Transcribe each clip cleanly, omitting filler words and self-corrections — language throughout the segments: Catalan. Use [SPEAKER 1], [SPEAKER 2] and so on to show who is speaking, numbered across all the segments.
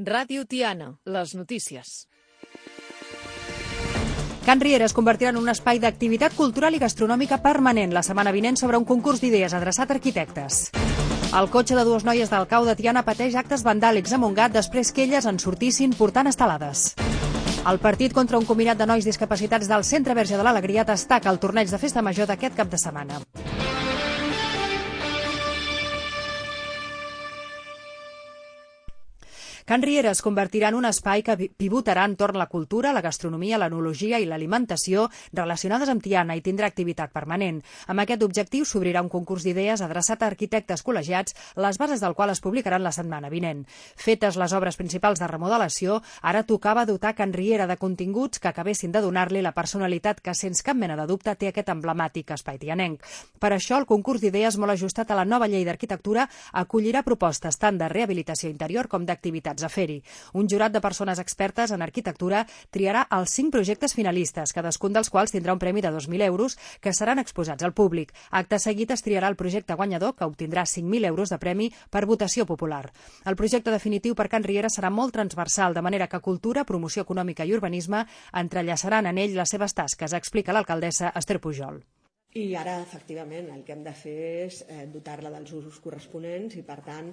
[SPEAKER 1] Ràdio Tiana, les notícies.
[SPEAKER 2] Can Riera es convertirà en un espai d'activitat cultural i gastronòmica permanent la setmana vinent sobre un concurs d'idees adreçat a arquitectes. El cotxe de dues noies del cau de Tiana pateix actes vandàlics a Montgat després que elles en sortissin portant estelades. El partit contra un combinat de nois discapacitats del Centre Verge de l'Alegria destaca el torneig de festa major d'aquest cap de setmana. Can Riera es convertirà en un espai que pivotarà entorn la cultura, la gastronomia, l'enologia i l'alimentació relacionades amb Tiana i tindrà activitat permanent. Amb aquest objectiu s'obrirà un concurs d'idees adreçat a arquitectes col·legiats, les bases del qual es publicaran la setmana vinent. Fetes les obres principals de remodelació, ara tocava dotar Can Riera de continguts que acabessin de donar-li la personalitat que, sense cap mena de dubte, té aquest emblemàtic espai tianenc. Per això, el concurs d'idees, molt ajustat a la nova llei d'arquitectura, acollirà propostes tant de rehabilitació interior com d'activitats a fer-hi. Un jurat de persones expertes en arquitectura triarà els 5 projectes finalistes, cadascun dels quals tindrà un premi de 2.000 euros que seran exposats al públic. Acte seguit es triarà el projecte guanyador, que obtindrà 5.000 euros de premi per votació popular. El projecte definitiu per Can Riera serà molt transversal, de manera que cultura, promoció econòmica i urbanisme entrellaçaran en ell les seves tasques, explica l'alcaldessa Esther Pujol.
[SPEAKER 3] I ara, efectivament, el que hem de fer és dotar-la dels usos corresponents i, per tant,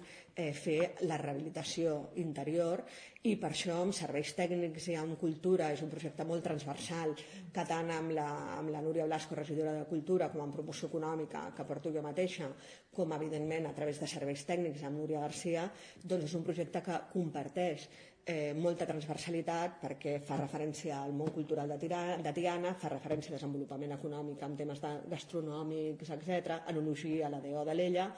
[SPEAKER 3] fer la rehabilitació interior, i per això amb serveis tècnics i amb cultura és un projecte molt transversal que tant amb la Núria Blasco, regidora de Cultura, com amb promoció econòmica que porto jo mateixa, com evidentment a través de serveis tècnics amb Núria Garcia, doncs és un projecte que comparteix molta transversalitat perquè fa referència al món cultural de Tiana, fa referència al desenvolupament econòmic en temes gastronòmics, etc., enologia, la DO d'Alella,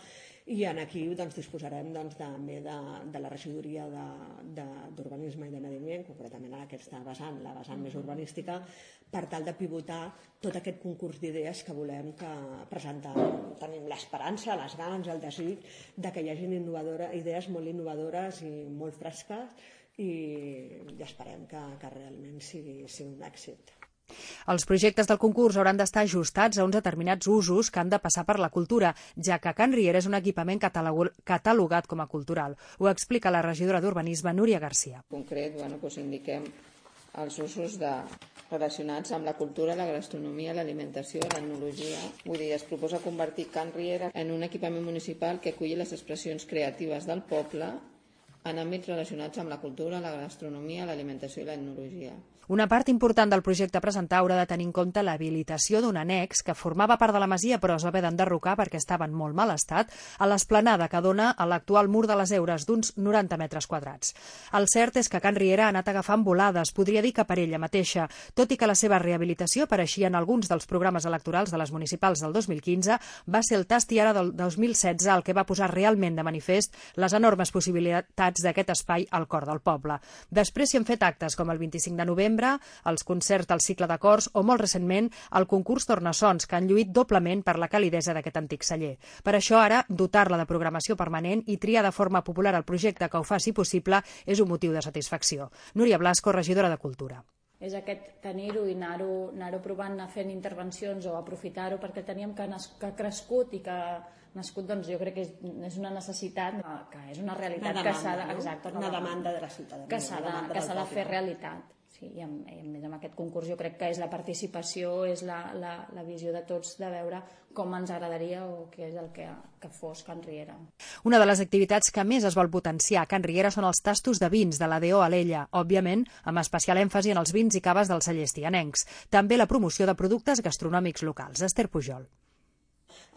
[SPEAKER 3] i aquí disposarem també de la regidoria d'Urbanisme i de Medi Ambient, concretament en aquesta vessant, la vessant més urbanística, per tal de pivotar tot aquest concurs d'idees que volem presentar. Tenim l'esperança, les ganes, el desig de que hi hagin idees molt innovadores i molt fresques, i esperem que realment sigui un èxit.
[SPEAKER 2] Els projectes del concurs hauran d'estar ajustats a uns determinats usos que han de passar per la cultura, ja que Can Riera és un equipament catalogat com a cultural. Ho explica la regidora d'Urbanisme, Núria Garcia.
[SPEAKER 4] En concret, indiquem els usos relacionats amb la cultura, la gastronomia, l'alimentació, l'etnologia. Vull dir, es proposa convertir Can Riera en un equipament municipal que aculli les expressions creatives del poble en àmbits relacionats amb la cultura, la gastronomia, l'alimentació i l'etnologia.
[SPEAKER 2] Una part important del projecte a presentar haurà de tenir en compte l'habilitació d'un annex que formava part de la masia però es va haver d'enderrocar perquè estava en molt mal estat a l'esplanada que dona a l'actual mur de les Heures d'uns 90 metres quadrats. El cert és que Can Riera ha anat agafant volades, podria dir que per ella mateixa, tot i que la seva rehabilitació apareixia en alguns dels programes electorals de les municipals del 2015, va ser el tast i ara del 2016 el que va posar realment de manifest les enormes possibilitats d'aquest espai al cor del poble. Després s'hi han fet actes com el 25 de novembre, els concerts del cicle de cors o, molt recentment, el concurs Tornassons, que han lluït doblement per la calidesa d'aquest antic celler. Per això ara, dotar-la de programació permanent i triar de forma popular el projecte que ho faci possible és un motiu de satisfacció. Núria Blasco, regidora de Cultura.
[SPEAKER 5] És aquest tenir-ho i anar-ho provant, anar fent intervencions o aprofitar-ho, perquè teníem que ha crescut i que ha nascut, doncs jo crec que és una necessitat, que és una realitat que s'ha de... Exacte,
[SPEAKER 3] una demanda de la ciutadania.
[SPEAKER 5] Que s'ha de fer realitat. Sí, i a més amb aquest concurs jo crec que és la participació, és la visió de tots de veure com ens agradaria o què és el que fos Can Riera.
[SPEAKER 2] Una de les activitats que més es vol potenciar a Can Riera són els tastos de vins de la DO Alella, òbviament amb especial èmfasi en els vins i caves dels cellers tianencs. També la promoció de productes gastronòmics locals. Esther Pujol.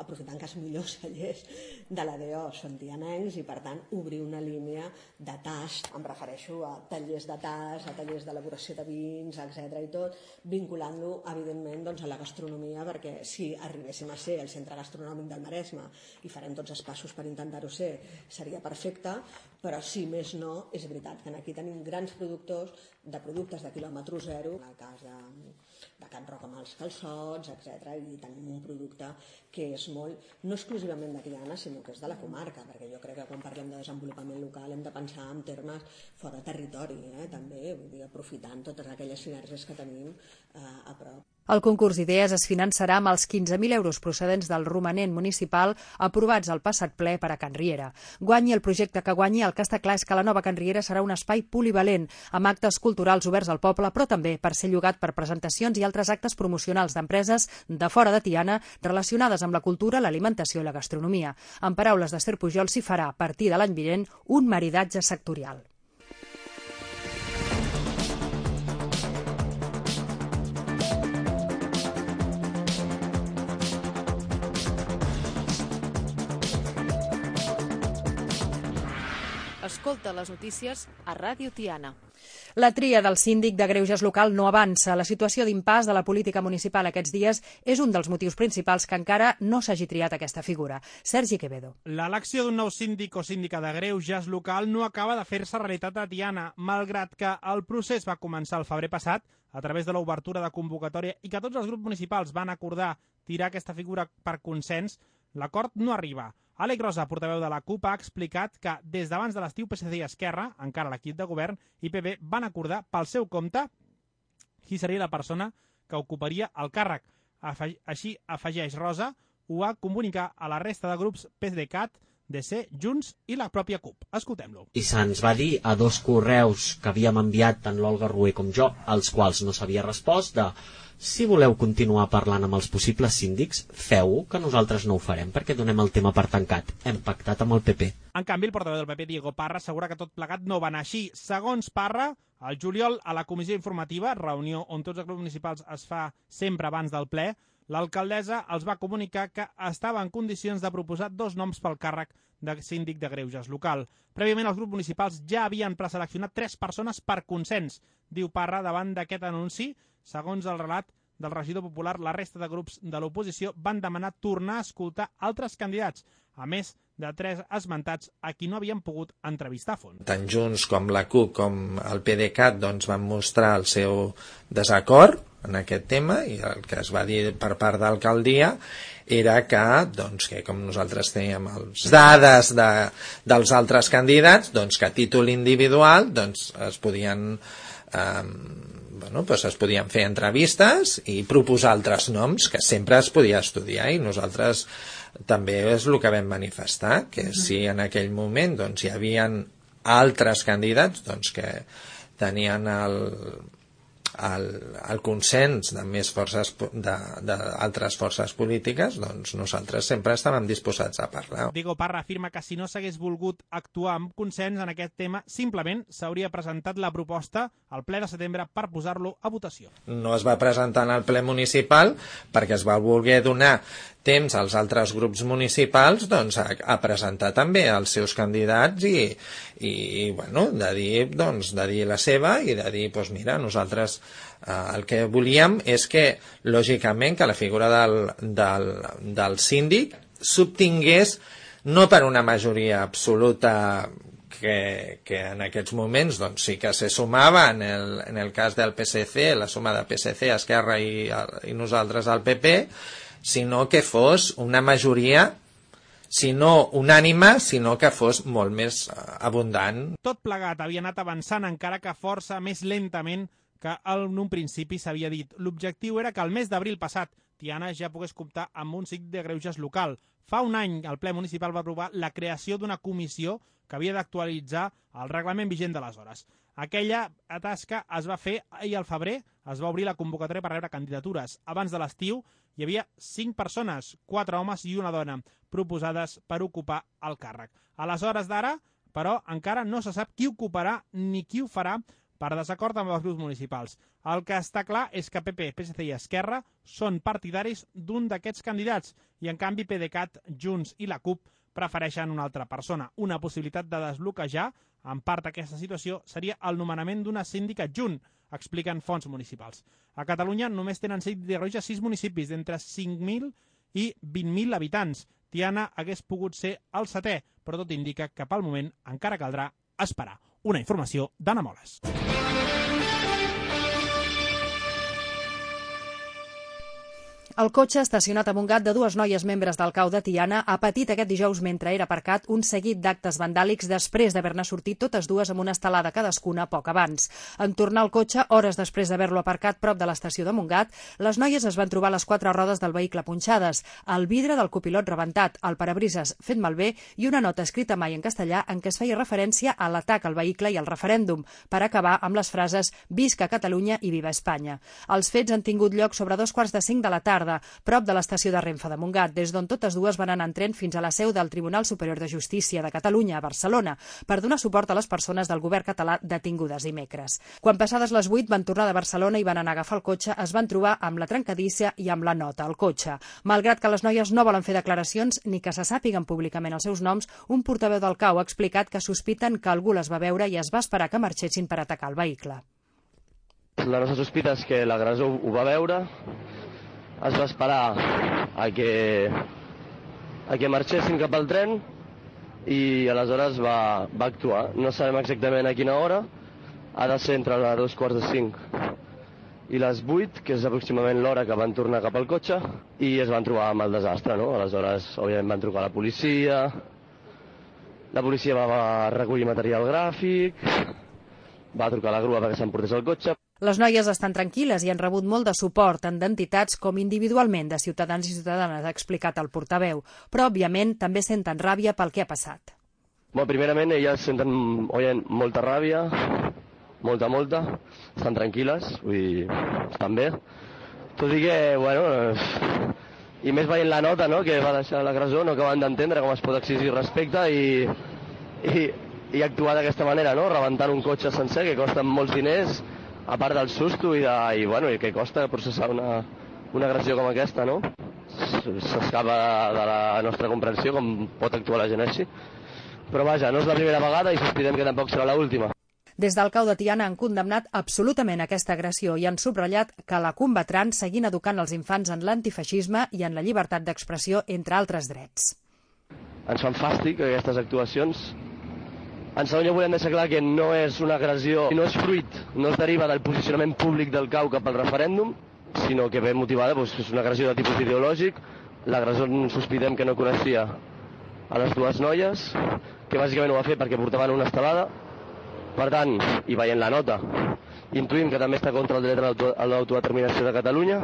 [SPEAKER 3] Aprofitant que els millors cellers de la DO són tianencs i, per tant, obrir una línia de tast, em refereixo a tallers de tast, a tallers d'elaboració de vins, etc. i tot, vinculant-lo, evidentment, a la gastronomia, perquè si arribéssim a ser el centre gastronòmic del Maresme i farem tots els passos per intentar-ho ser, seria perfecte, però si més no, és veritat que aquí tenim grans productors de productes de quilòmetre zero, en el cas Can Roca amb els calçots, etc. I tenim un producte que és molt, no exclusivament de Tiana, sinó que és de la comarca, perquè jo crec que quan parlem de desenvolupament local hem de pensar en termes fora territori, també, vull dir, aprofitant totes aquelles sinergies que tenim a prop.
[SPEAKER 2] El concurs d'idees es finançarà amb els 15.000 euros procedents del romanent municipal aprovats al passat ple per a Can Riera. Guanyi el projecte que guanyi, el que està clar és que la nova Can Riera serà un espai polivalent, amb actes culturals oberts al poble, però també per ser llogat per presentacions i altres actes promocionals d'empreses de fora de Tiana relacionades amb la cultura, l'alimentació i la gastronomia. En paraules d'Ester Pujol, s'hi farà, a partir de l'any vinent, un maridatge sectorial.
[SPEAKER 1] Escolta les notícies a Ràdio Tiana.
[SPEAKER 2] La tria del síndic de greuges local no avança. La situació d'impàs de la política municipal aquests dies és un dels motius principals que encara no s'hagi triat aquesta figura. Sergi Quevedo.
[SPEAKER 6] L'elecció d'un nou síndic o síndica de greuges local no acaba de fer-se realitat a Tiana, malgrat que el procés va començar el febrer passat a través de l'obertura de convocatòria i que tots els grups municipals van acordar tirar aquesta figura per consens. L'acord no arriba. Àlex Rosa, portaveu de la CUP, ha explicat que des d'abans de l'estiu PSC i Esquerra, encara l'equip de govern, i PP van acordar pel seu compte qui seria la persona que ocuparia el càrrec. Així, afegeix Rosa, ho va comunicar a la resta de grups PDeCAT, DC, Junts i la pròpia CUP. Escoltem-lo.
[SPEAKER 7] I se'ns va dir a 2 correus que havíem enviat tant l'Olga Rué com jo, als quals no s'havia respost, de si voleu continuar parlant amb els possibles síndics, feu-ho, que nosaltres no ho farem, perquè donem el tema per tancat. Hem pactat amb el PP.
[SPEAKER 6] En canvi, el portaveu del PP, Diego Parra, assegura que tot plegat no va anar així. Segons Parra, al juliol, a la comissió informativa, reunió on tots els grups municipals es fa sempre abans del ple, l'alcaldessa els va comunicar que estava en condicions de proposar 2 noms pel càrrec de síndic de greuges local. Prèviament, els grups municipals ja havien preseleccionat 3 persones per consens, diu Parra, davant d'aquest anunci. Segons el relat del regidor popular, la resta de grups de l'oposició van demanar tornar a escoltar altres candidats, a més de 3 esmentats a qui no havien pogut entrevistar a fons.
[SPEAKER 8] Tant Junts com la CUP com el PDeCAT van mostrar el seu desacord en aquest tema, i el que es va dir per part d'alcaldia era que com nosaltres teníem les dades dels altres candidats, que a títol individual es podien es podien fer entrevistes i proposar altres noms, que sempre es podia estudiar, i nosaltres també és el que vam manifestar, que si en aquell moment hi havia altres candidats que tenien el consens de més forces d'altres forces polítiques, nosaltres sempre estàvem disposats a parlar.
[SPEAKER 6] Diego Parra afirma que si no s'hagués volgut actuar amb consens en aquest tema, simplement s'hauria presentat la proposta al ple de setembre per posar-lo a votació.
[SPEAKER 8] No es va presentar en el ple municipal perquè es va voler donar temps als altres grups municipals a presentar també els seus candidats i de dir la seva i de dir, mira, nosaltres el que volíem és que, lògicament, que la figura del síndic s'obtingués no per una majoria absoluta que en aquests moments sí que se sumava en el cas del PSC, la suma de PSC, Esquerra i nosaltres al PP, sinó que fos una majoria, si no unànime, sinó que fos molt més abundant.
[SPEAKER 6] Tot plegat havia anat avançant encara que força més lentament que en un principi s'havia dit. L'objectiu era que el mes d'abril passat Tiana ja pogués comptar amb un síndic de greuges local. Fa un any el ple municipal va aprovar la creació d'una comissió que havia d'actualitzar el reglament vigent d'aleshores. Aquella tasca es va fer i al febrer es va obrir la convocatòria per rebre candidatures. Abans de l'estiu hi havia 5 persones, 4 homes i una dona, proposades per ocupar el càrrec. A les hores d'ara, però, encara no se sap qui ocuparà ni qui ho farà per desacord amb els grups municipals. El que està clar és que PP, PSC i Esquerra són partidaris d'un d'aquests candidats i, en canvi, PDeCAT, Junts i la CUP prefereixen una altra persona. Una possibilitat de desbloquejar, en part d'aquesta situació, seria el nomenament d'una síndica adjunt, expliquen fonts municipals. A Catalunya només tenen síndic de greuges 6 municipis d'entre 5.000 i 20.000 habitants. Tiana hagués pogut ser el 7è, però tot indica que pel moment encara caldrà esperar. Una informació d'Anna Moles.
[SPEAKER 2] El cotxe estacionat a Montgat de dues noies membres del CAU de Tiana ha patit aquest dijous mentre era aparcat un seguit d'actes vandàlics després d'haver-ne sortit totes dues amb una estelada cadascuna poc abans. En tornar al cotxe, hores després d'haver-lo aparcat prop de l'estació de Montgat, les noies es van trobar les 4 rodes del vehicle punxades, el vidre del copilot rebentat, el parabrises fet malbé i una nota escrita mai en castellà en què es feia referència a l'atac al vehicle i al referèndum, per acabar amb les frases «Visca Catalunya i viva Espanya». Els fets han tingut lloc sobre 4:45 de la tarda, prop de l'estació de Renfe de Montgat, des d'on totes dues van anar en tren fins a la seu del Tribunal Superior de Justícia de Catalunya, a Barcelona, per donar suport a les persones del govern català detingudes dimecres. Quan passades les 8 van tornar de Barcelona i van anar a agafar el cotxe, es van trobar amb la trencadissa i amb la nota al cotxe. Malgrat que les noies no volen fer declaracions ni que se sàpiguen públicament els seus noms, un portaveu del CAU ha explicat que sospiten que algú les va veure i es va esperar que marxessin per atacar el vehicle.
[SPEAKER 9] La nostra sospita és que l'agressor ho va veure, es va esperar a que marxessin cap al tren i aleshores va actuar. No sabem exactament a quina hora, ha de ser entre les 4:45 i les 8, que és aproximadament l'hora que van tornar cap al cotxe, i es van trobar amb el desastre, no? Aleshores, òbviament, van trucar a la policia va recollir material gràfic, va trucar a la grua perquè s'emportés el cotxe.
[SPEAKER 2] Les noies estan tranquil·les i han rebut molt de suport, tant d'entitats com individualment de ciutadans i ciutadanes, ha explicat el portaveu. Però, òbviament, també senten ràbia pel que ha passat.
[SPEAKER 9] Bueno, primerament, elles senten molta ràbia, molta, estan tranquil·les, vull dir, estan bé. Tot i que, bueno, i més veient la nota, no?, que va deixar l'agressor, no acaben d'entendre com es pot exigir respecte i actuar d'aquesta manera, no?, rebentant un cotxe sencer que costa molts diners, a part del susto i que costa processar una agressió com aquesta, no? S'escapa de la nostra comprensió com pot actuar la gent així. Però vaja, no és la primera vegada i sospitem que tampoc serà l'última.
[SPEAKER 2] Des del CAU de Tiana han condemnat absolutament aquesta agressió i han subratllat que la combatran seguint educant els infants en l'antifeixisme i en la llibertat d'expressió, entre altres drets.
[SPEAKER 9] Ens fan fàstic aquestes actuacions. En segon lloc, volem deixar clar que no és una agressió, no és fruit, no es deriva del posicionament públic del CAU cap al referèndum, sinó que ve motivada, és una agressió de tipus ideològic. L'agressor sospitem que no coneixia a les dues noies, que bàsicament ho va fer perquè portaven una estelada. Per tant, i veient la nota, intuïm que també està contra el dret a l'autodeterminació de Catalunya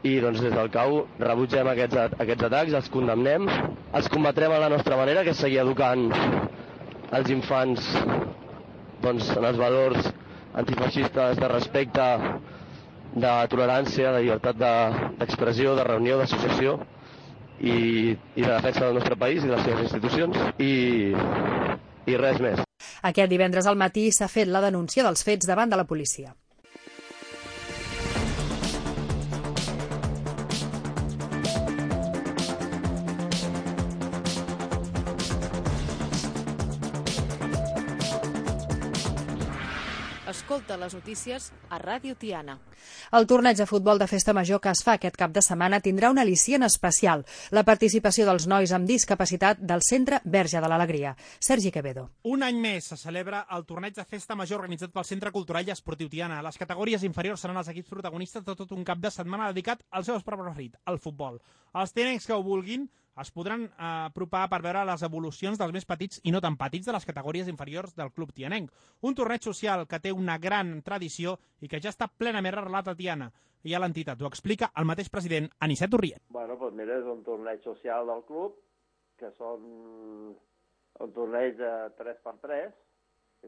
[SPEAKER 9] i doncs des del CAU rebutgem aquests atacs, els condemnem, els combatrem a la nostra manera, que és seguir educant els infants doncs, en els valors antifeixistes de respecte, de tolerància, de llibertat d'expressió, de reunió, d'associació i de defensa del nostre país i de les seves institucions i res més.
[SPEAKER 2] Aquest divendres al matí s'ha fet la denúncia dels fets davant de la policia.
[SPEAKER 1] Escolta les notícies a Ràdio Tiana.
[SPEAKER 2] El torneig de futbol de festa major que es fa aquest cap de setmana tindrà un al·licient especial, la participació dels nois amb discapacitat del Centre Verge de l'Alegria. Sergi Quevedo.
[SPEAKER 6] Un any més se celebra el torneig de festa major organitzat pel Centre Cultural i Esportiu Tiana. Les categories inferiors seran els equips protagonistes de tot un cap de setmana dedicat al seu esport preferit, el futbol. Els tianencs que ho vulguin es podran apropar per veure les evolucions dels més petits i no tan petits de les categories inferiors del club tianenc. Un torneig social que té una gran tradició i que ja està plenament arrelat a Tiana. I a l'entitat ho explica el mateix president, Anicet Urriet.
[SPEAKER 10] Bueno, doncs mira, és un torneig social del club, que són un torneig de 3x3,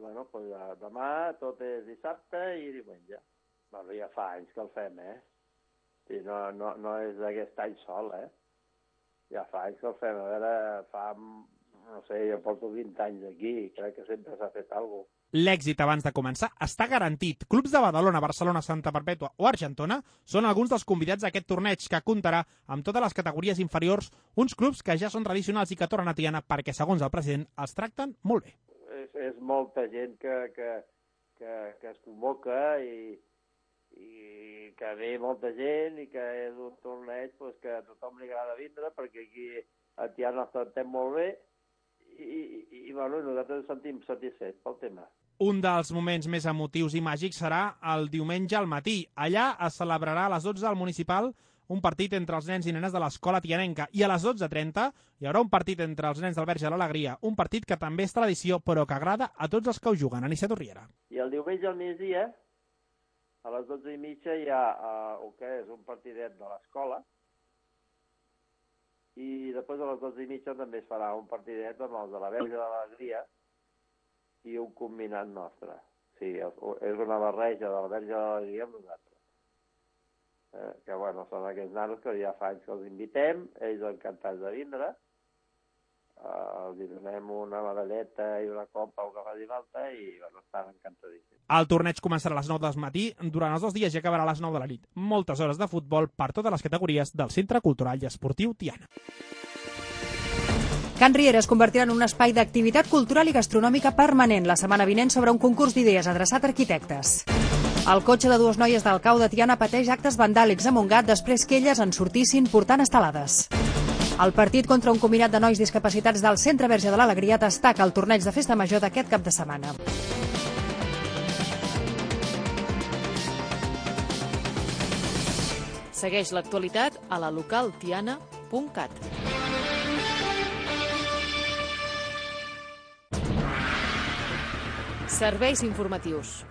[SPEAKER 10] i bueno, doncs demà tot és dissabte i diumenge. Bueno, ja fa anys que el fem, I no és d'aquest any sol, Ja fa anys que el fem, a veure, no sé, jo porto 20 anys aquí i crec que sempre s'ha fet alguna cosa.
[SPEAKER 6] L'èxit abans de començar està garantit. Clubs de Badalona, Barcelona, Santa Perpètua o Argentona són alguns dels convidats d'aquest torneig que comptarà amb totes les categories inferiors, uns clubs que ja són tradicionals i que tornen a Tiana perquè, segons el president, els tracten molt bé.
[SPEAKER 10] És molta gent que es convoca i que ve molta gent i que és un torneig que a tothom li agrada vindre perquè aquí a Tiana ens trantem molt bé i bueno, nosaltres ens sentim satisfets pel tema.
[SPEAKER 6] Un dels moments més emotius i màgics serà el diumenge al matí. Allà es celebrarà a les 12 al municipal un partit entre els nens i nenes de l'escola tianenca. I a les 12:30 hi haurà un partit entre els nens del Verge de l'Alegria, un partit que també és tradició, però que agrada a tots els que ho juguen. Anicet Urriera.
[SPEAKER 10] I el diumenge al migdia, a les 12:30, hi ha el que és un partidet de l'escola, i després a les 12:30 també es farà un partidet amb els de la Verge de l'Alegria i un combinat nostre. Sí, és una barreja de la Verge de l'Alegria amb nosaltres. Que, bueno, són aquests nanos que ja fa anys que els invitem, ells encantats de vindre, els donem una medalleta i una copa o que faci falta i, bueno, estan encantadíssims.
[SPEAKER 6] El torneig començarà a les 9 del matí, durant els 2 dies i acabarà a les 9 de la nit. Moltes hores de futbol per totes les categories del Centre Cultural i Esportiu Tiana.
[SPEAKER 2] Can Riera es convertirà en un espai d'activitat cultural i gastronòmica permanent la setmana vinent sobre un concurs d'idees adreçat a arquitectes. El cotxe de 2 noies del Cau de Tiana pateix actes vandàlics a Montgat després que elles en sortissin portant estelades. El partit contra un combinat de nois discapacitats del Centre Verge de l'Alegria destaca el torneig de festa major d'aquest cap de setmana.
[SPEAKER 1] Segueix l'actualitat a la localtiana.cat. Serveis informatius.